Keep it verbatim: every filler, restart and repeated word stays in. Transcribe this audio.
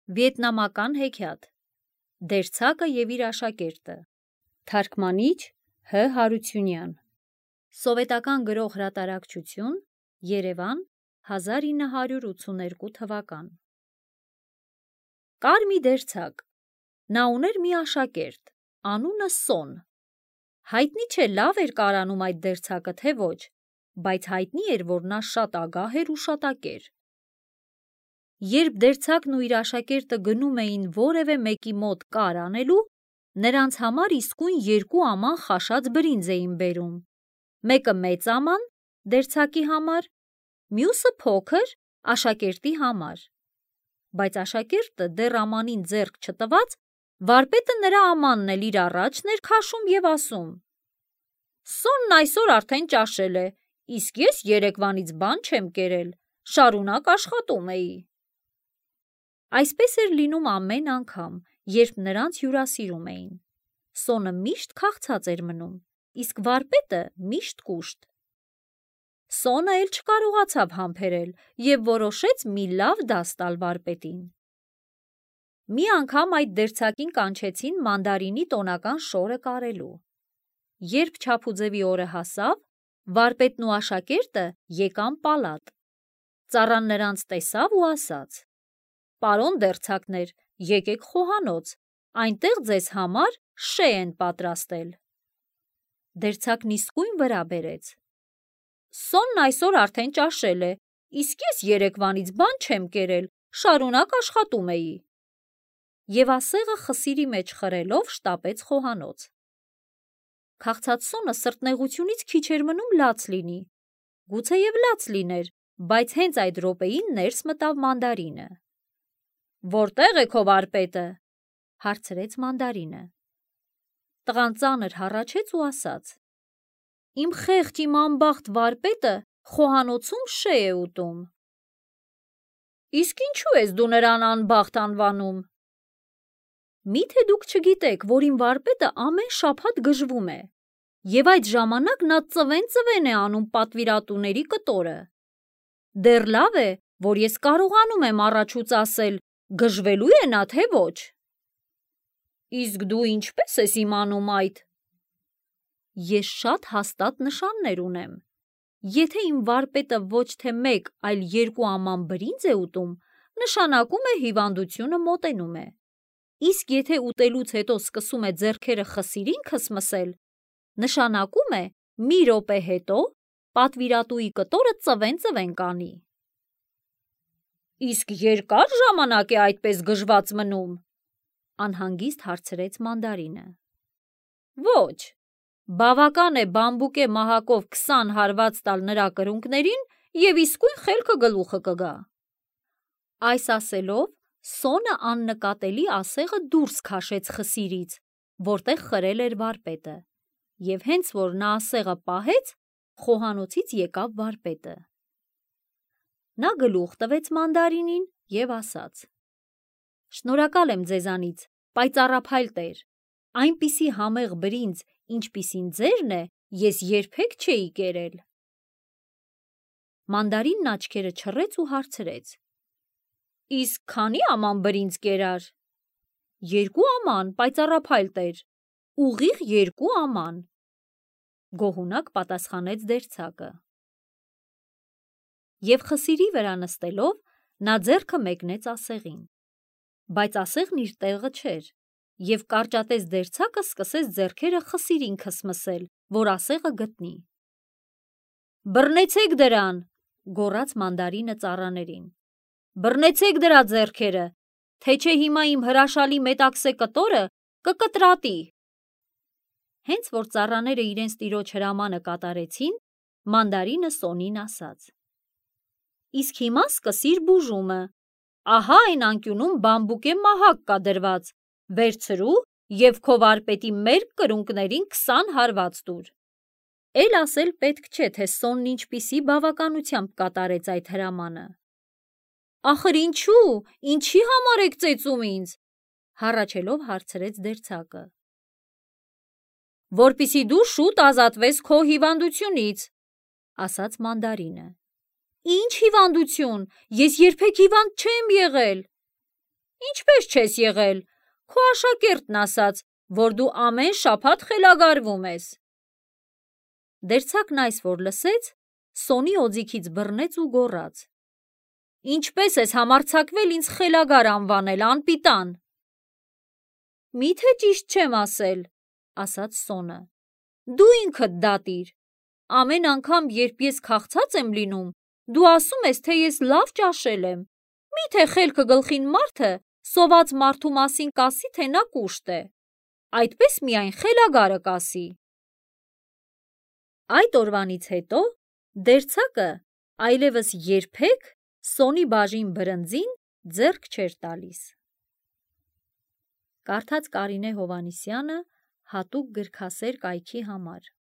Վիետնամական հեքիաթ Դերձակը և իր աշակերտը Թարգմանիչ Հ. Հարությունյան Սովետական գրող հրատարակչություն Երևան հազար ինը հարյուր ութսուներկու թվական Կար մի դերձակ, նա ուներ մի աշակերտ, անունը Սոն։ Հայտնի չէ լավ էր կարանում այդ դերձակը, թե ոչ, բայց հայտնի էր, որ նա շատ ագահ էր ու շատակեր։ Երբ դերձակն ու իր աշակերտը գնում էին որևէ մեկի մոտ կար անելու, նրանց համար իսկույն երկու աման խաշած բրինձ էին բերում, մեկը մեծ աման դերձակի համար, մյուսը փոքր աշակերտի համար, բայց աշակերտը դեռ ամանին ձեռք չտված, վարպետը նրա ամանն էլ իր առաջն էր քաշում և ասում. «Սոնն այսօր արդեն ճաշել է, իսկ ես երեկվանից բան չեմ կերել, շարունակ աշխատում էի»։ Այսպես էր լինում ամեն անգամ, երբ նրանց հյուրասիրում էին։ Սոնը միշտ քաղցած էր մնում, իսկ վարպետը միշտ կուշտ։ Սոնը էլ չկարողացավ համբերել և որոշեց մի լավ դաս տալ վարպետին։ Մի անգամ այդ դերձակին կանչեցին մանդարինի տոնական շորը կարելու։ Երբ չափուձևի օրը հասավ, վարպետն ու աշակերտը եկան պալատ։ Ծառան նրանց տեսավ ու ասաց. «Պարոն դերձակներ, եկեք խոհանոց, այնտեղ ձեզ համար շե են պատրաստել»։ Դերձակն իսկույն վրա բերեց. «Սոնն այսօր արդեն ճաշել է, իսկ ես երեկվանից բան չեմ կերել, շարունակ աշխատում էի»։ Եվ ասեղը խսիրի մեջ խրելով շտապեց խոհանոց։ Քաղցած Սոնը սրտնեղությունից քիչ էր մնում լաց լինի։ Գուցեև լաց լիներ, բայց հենց այդ րոպեին ներս մտավ մանդարինը։ «Որտե՞ղ է քո վարպետը» հարցրեց մանդարինը։ Տղան ծանր հառաչեց ու ասաց. «Իմ խեղճ, իմ անբախտ վարպետը խոհանոցում շե է ուտում»։ «Իսկ ինչու ես դու նրան անբախտ անվանում»։ «Մի՞թե դուք չգիտեք, որ իմ վարպետը ամեն շաբաթ գժվում է, և այդ ժամանակ նա ծվեն-ծվեն է անում պատվիրատուների կտորը։ Դեռ լավ է, որ ես կարողանում եմ առաջուց ասել՝ գժվելու է նա, թե ոչ»։ «Իսկ դու ինչպե՞ս ես իմանում այդ»։ «Ես շատ հաստատ նշաններ ունեմ։ Եթե իմ վարպետը ոչ թե մեկ, այլ երկու աման բրինձ է ուտում, նշանակում է հիվանդությունը մոտենում է, իսկ եթե ուտելուց հետո սկսում է ձեռքերը խսիրին քսմսել, նշանակում է մի րոպե հետո պատվիրատուի կտորը ծվեն-ծվեն կանի»։ «Իսկ երկա՞ր ժամանակ է այդպես գժված մնում»։ անհանգիստ հարցրեց մանդարինը։ «Ոչ, բավական է բամբուկե մահակով քսան հարված տալ նրա կրունկներին և իսկույն խելքը գլուխը կգա»։ Այս ասելով Սոնը աննկատելի ասեղը դուրս քաշեց խսիրից, որտեղ խրել էր վարպետը, և հենց որ նա ասեղը պահեց, խոհանոցից եկավ վարպետը։ Նա գլուխ տվեց մանդարինին և ասաց. «Շնորհակալ եմ ձեզանից, պայծառափայլ տեր, այնպիսի համեղ բրինձ, ինչպիսին ձերն է, ես երբեք չէի կերել»։ Մանդարինն աչքերը չռեց ու հարցրեց. «Իսկ քանի՞ աման բրինձ կերար»։ «Երկու աման, պայծառափայլ տեր, ուղիղ երկու աման», գոհունակ պատասխանեց դերձակը։ Եվ խսիրի վրա նստելով նա ձեռքը մեկնեց ասեղին, բայց ասեղն իր տեղը չէր, և կարճատես դերձակը սկսեց ձեռքերը խսիրին քսմսել, որ ասեղը գտնի։ «Բռնեցեք դրան», գոռաց մանդարինը ծառաներին, «բռնեցեք դրա ձեռքերը, թե չէ հիմա իմ հրաշալի մետաքսե կտորը կկտրատի»։ Հենց որ ծառաները իրենց տիրոջ հրամանը կատարեցին, մանդարինը Սոնին ասաց. «Իսկ հիմա սկսիր բուժումը, ահա այն անկյունում բամբուկե մահակ կա դրված, վերցրու և քո վարպետի մերկ կրունկներին քսան հարված տուր»։ Էլ ասել պետք չէ, թե Սոնն ինչպիսի բավականությամբ կատարեց այդ հրամանը։ «Ախր ինչու, ինչի համար եք ծեծում ինձ»։ հառաչելով հարցրեց դերձակը։ «Որպեսզի դու շուտ ազատվես քո հիվանդությունից», ասաց մանդարինը։ «Ինչ հիվանդություն, ես երբեք հիվանդ չեմ եղել»։ Ինչպես չես եղել, քո աշակերտն ասաց, որ դու ամեն շաբաթ խելագարվում ես։ Դերձակն այս որ լսեց, Սոնի օձիքից բռնեց ու գոռաց. Ինչպես ես համարձակվել ինձ խելագար անվանել, անպիտան։ Միթե ճիշտ չեմ ասել, ասաց Սոնը։ Դու ինքդ դատիր։ Ամեն անգամ, երբ ես քաղցած եմ լինում, դու ասում ես, թե ես լավ ճաշել եմ։ Միթե խելքը գլխին մարդը սոված մարդու մասին կասի, թե նա կուշտ է։ Այդպես միայն խելագարը կասի։ Այդ օրվանից հետո դերձակը այլևս երբեք Սոնի բաժին բրնձին ձեռք չէր տալիս։ Կարդաց Կարինե Հովհաննիսյանը հատուկ գրքասեր կայքի համար։